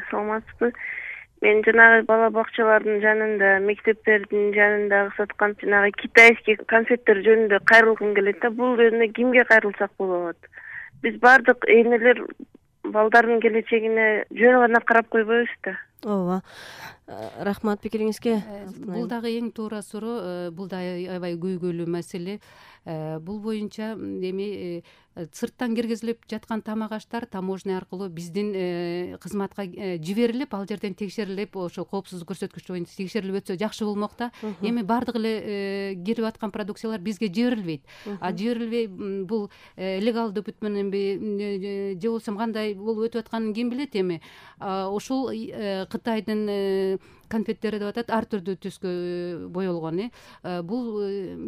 саламатсызбы? Мен жанагы бала бакчалардын жанында, мектептердин жанындагы саткан жанагы китайский конфеттер жөнүндө кайрылгым келет да. Бул жөнүндө кимге кайрылсак болот? Биз бардык энелер балдардын келечегине жөн гана карап койбойбуз да. Ооба. Рахмат пикириңизге. Бул дагы эң туура суроо, бул да аябай көйгөйлүү маселе. Бул боюнча эми сырттан киргизилип жаткан тамак аштар таможня аркылуу биздин кызматка жиберилип, ал жерден текшерилип, ошо коопсуздук көрсөткүчү боюнча текшерилип өтсө жакшы болмок да. Эми бардык эле кирип аткан продукциялар бизге жиберилбейт. Жиберилбей бул легалдуу бүт мененби же болбосо кандай болуп өтүп атканын ким билет эми. Ушул Кытайдын конфеттери деп атат, ар түрдүү түскө боелгон. Бул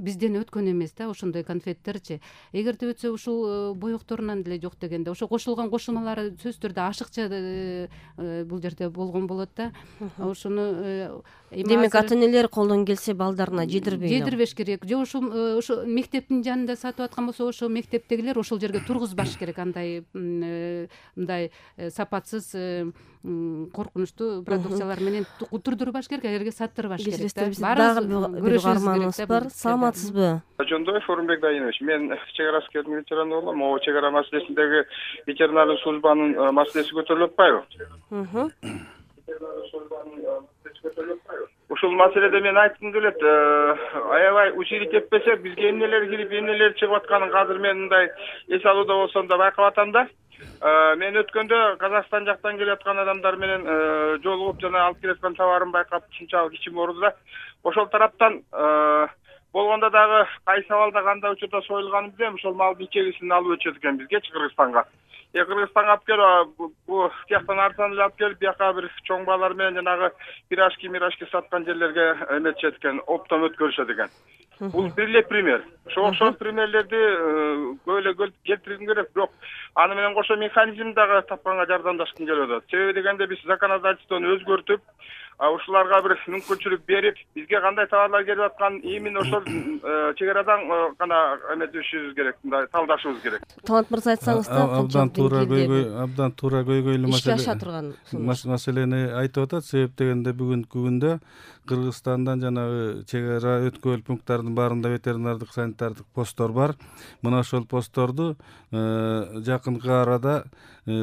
бизден өткөн эмес да, ошондой конфеттерчи. Эгерде өтсө ушул боекторунан деле жок дегенде, ошо кошулган кошулмалары сөзсүз түрдө ашыкча бул жерде болгон болот да. Ошону демек ата-энелер колдон келсе балдарына жедирбеш керек. Же ошо мектептин жанында сатып аткан болсо, ошо мектептегилер ошол жерге тургузбаш керек. Андай мындай сапатсыз, коркунучтуу продукциялар менен турдурбаш керек, элерге саттырбаш керек да. Дагы бир угарманыбыз бар. Саламатсызбы? Жондоев Орунбек Дайынович. Мен чек ара аскердин ветераны болом. Могу чек ара маселесиндеги ветеринардык службанын маселеси көтөрүлүп атпайбы? Ушул маселеде мен айткым келет, аябай учили теппесек, бизге эмнелер кирип, эмнелер чыгып атканын азыр мен мындай эс алууда болсом да байкап атам да. Мен өткөндө Казакстан жактан келип аткан адамдар менен жолугуп, жана алып келаткан товарын байкап, ушунчалык ичим ооруду да. Ошол тараптан болгондо дагы кайсы абалда кандай учурда союлганын билем, ошол малдын ичегисин алып өтүшөт экен бизгечи Кыргызстанга. Кыргызстанга алып келип, бу тияктан арзан эле алып келип, бияка бир чоң баалар менен жанагы пирожки саткан жерлерге эметишет экен, оптом өткөрүшөт экен. Бул бир эле пример. Ошо окшош примерлерди көп эле келтиргим керек, бирок аны менен кошо механизм дагы тапканга жардамдашкым келип атат. Себеби дегенде биз законодательствону өзгөртүп, ушуларга бир мүмкүнчүлүк берип, бизге кандай товарлар келип атканын именно ошол чек арадан гана эметишибиз керек, мындай талдашыбыз керек. Талант мырза айтсаңыз да, абдан туура көйгөйлүү ишке аша турган маселени айтып атат. Себеп дегенде бүгүнкү күндө Кыргызстандан жанагы чек ара өткөл пункттардын баарында ветеринардык санитардык посттор бар. Мына ошол постторду жакынкы арада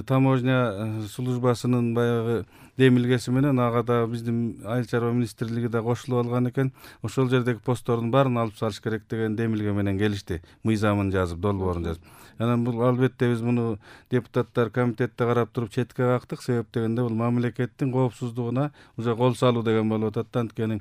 таможня службасынын баягы демилгеси менен ага да биздин айыл чарба министрлиги да кошулуп алган экен. Ошол жердеги посттордун баарын алып салыш керек деген демилге менен келишти. Мыйзамын жазып, долбоорун жазып. Анан бул албетте биз муну депутаттар комитетте карап туруп четке кактык. Себеп дегенде бул мамлекеттин коопсуздугуна уже кол салуу деген болуп атат. Анткени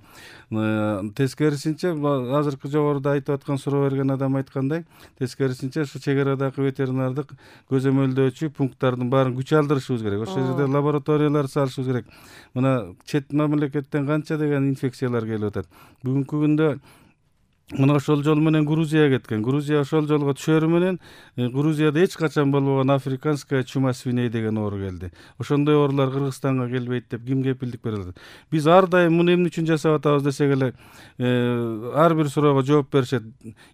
тескерисинче азыркы жогоруда айтып аткан суроо берген адам айткандай, тескерисинче ушу чек арадагы ветеринардык көзөмөлдөөчү пункттардын баарын күч алдырышыбыз керек. Ошол жерде лабораториялар салышыбыз керек. Мына чет мамлекеттен канча деген инфекциялар келип атат. Бүгүнкү күндө мына ошол жол менен Грузияга кеткен. Грузия ошол жолго түшөрү менен Грузияда эч качан болбогон африканская чума свиней деген оору келди. Ошондой оорулар Кыргызстанга келбейт деп ким кепилдик бере алат? Биз ар дайым муну эмне үчүн жасап атабыз десек эле, ар бир суроого жооп беришет.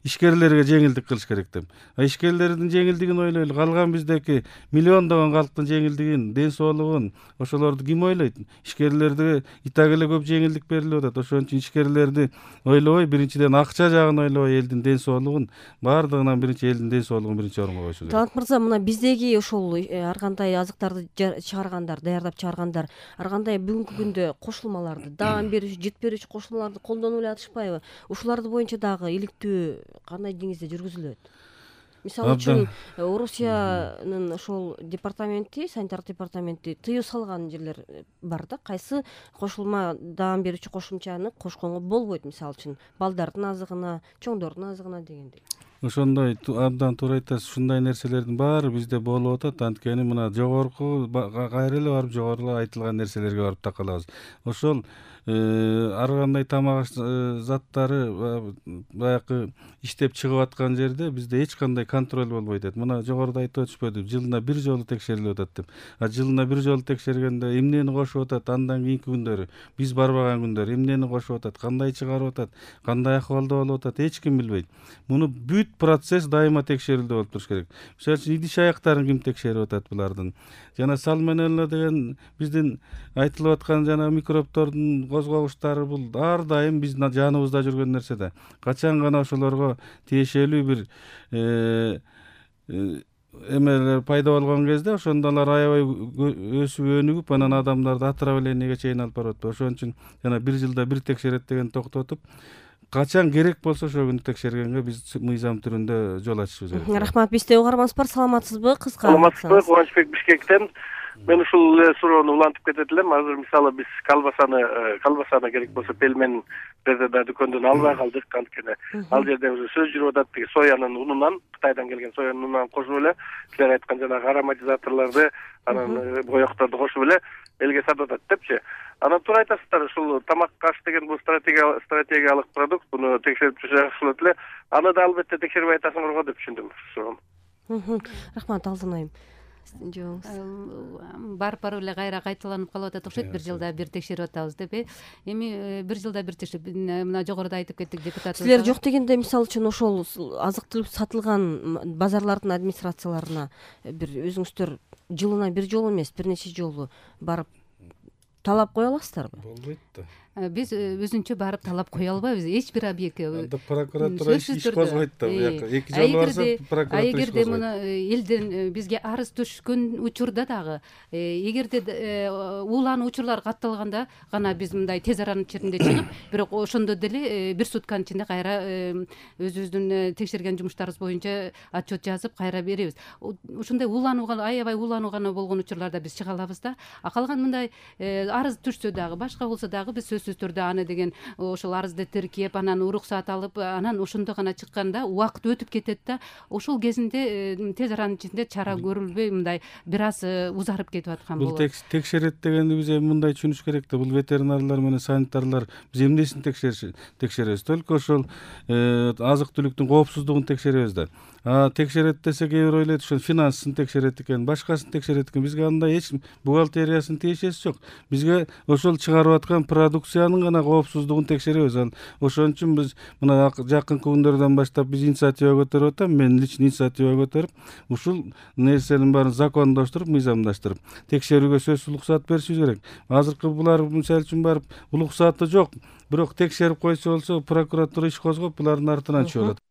Ишкерлерге жеңилдик кылыш керек деп. Ишкерлердин жеңилдигин ойлойлу. Калган биздеки миллиондогон калктын жеңилдигин, ден соолугун ошолорду ким ойлойт? Ишкерлерге и так эле көп жеңилдик берилип атат. Ошон үчүн ишкерлерди ойлобой, биринчиден акча жагын ойлобой, элдин ден соолугун, баардыгынан биринчи элдин ден соолугун биринчи орунга койушу керек. Талант мырза, мына биздеги ошол ар кандай азыктарды чыгаргандар, даярдап чыгаргандар, ар кандай бүгүнкү күндө кошулмаларды, даам берүүчү, жет берүүчү кошулмаларды колдонуп эле атышпайбы? Ушуларды боюнча дагы иликтөө кандай деңизде жүргүзүлөт? Мисалы үчүн Орусиянын ошол департаменти, санитар департаменти тыюу салган жерлер бар да, кайсы кошулма даам берүүчү кошумчаны кошконго болбойт, мисалы үчүн балдардын азыгына, чоңдордун азыгына дегендей. Ошондой абдан туура айтасыз. Ушундай нерселердин баары бизде болуп атат. Анткени мына жогорку кайра эле барып жогору айтылган нерселерге барып такалабыз. Ошол ар кандай тамак заттары баягы иштеп чыгып аткан жерде бизде эч кандай контроль болбой атат. Мына жогоруда айтып өтүшпөдү, жылына бир жолу текшерилип атат деп. Жылына бир жолу текшергенде эмнени кошуп атат, андан кийинки күндөрү, биз барбаган күндөрү эмнени кошуп атат, кандай чыгарып атат, кандай акыбалда болуп атат, эч ким билбейт. Муну бүт процесс дайыма текшерилүүдө болуп туруш керек. Мисалы үчүн идиш аяктарын ким текшерип атат булардын? Жана сальмонелла деген биздин айтылып аткан жана микробтордун козгогучтары бул ар дайым биздин жаныбызда жүргөн нерсе да. Качан гана ошолорго тиешелүү бир эмелер пайда болгон кезде ошондо алар аябай өсүп өнүгүп, анан адамдарды отравлениеге чейин алып барып атпайбы. Ошон үчүн жана бир жылда бир текшерет деген токтотуп, качан керек болсо ошол күнү текшергенге биз мыйзам түрүндө жол ачышыбыз керек. Рахмат. Бизде угарманыбыз бар. Саламатсызбы? Кыска. Саламатсызбы? Кубанычбек Бишкектен. Мен ушул суроону улантып кетет элем. Азыр мисалы биз колбасаны керек болсо пельмен да дүкөндөн албай калдык. Анткени ал жерде уже сөз жүрүп атат, тиги соянын унунан, Кытайдан келген соянын унунан кошуп эле, силер айткан жанагы ароматизаторлорду, анан боекторду кошуп эле элге сатып атат депчи. Анан туура айтасыздар, ушул тамакка аш деген бул стратегиялык продукт, буну текшерип жакшы болот эле. Аны да албетте текшербей атасыңар го деп түшүндүм. Рахмат, Алтынайым. Барып эле кайра кайталанып калып атат окшойт, бир жылда бир текшерип атабыз деп. Эми бир жылда бир текшерип, мына жогоруда айтып кеттик депутат. Силер жок дегенде, мисалы үчүн ошол азык түлүк сатылган базарлардын администрацияларына бир өзүңүздөр жылына бир жолу эмес, бир нече жолу барып талап кое аласыздарбы? Болбойт да. Биз өзүнчө барып талап кое албайбыз эч бир объектке. Прокуратура иш козгойт да. Эки жолу барса прокуратура иш эгерде муну элден бизге арыз түшкөн учурда дагы, эгерде уулануу учурлар катталганда гана биз мындай тез аранын ичинде чыгып, бирок ошондо деле бир сутканын ичинде кайра өзүбүздүн текшерген жумуштарыбыз боюнча отчет жазып кайра беребиз. Ушундай аябай уулануу гана болгон учурларда биз чыга алабыз да. Калган мындай арыз түшсө дагы, башка болсо дагы биз сөзсүз түрдө аны деген ошол арызды тиркеп, анан уруксаат алып, анан ошондо гана чыкканда убакыт өтүп кетет да. Ошол кезинде тез аранын ичинде чара көрүлбөй мындай бир аз узарып кетип аткан болот. Бул текшерет дегенди биз эми мындай түшүнүш керек да. Бул ветеринарлар менен санитарлар биз эмнесин текшеребиз? Только ошол азык түлүктүн коопсуздугун текшеребиз да. Текшерет десе кээ бир ойлойт, ошол финансын текшерет экен, башкасын текшерет экен. Бизге андай эч бухгалтериясынын тиешеси жок. Бизге ошол чыгарып аткан продукциянын гана коопсуздугун текшеребиз. Ошон үчүн биз мына жакынкы күндөрдөн баштап биз инициатива көтөрүп атам. Мен лично инициатива көтөрүп, ушул нерсенин баарын закондоштуруп, мыйзамдаштырып, текшерүүгө сөзсүз уруксаат беришибиз керек. Азыркы булар мисалы үчүн барып уруксааты жок, бирок текшерип койсо болсо, прокуратура иш козгоп булардын артынан чыгып атат.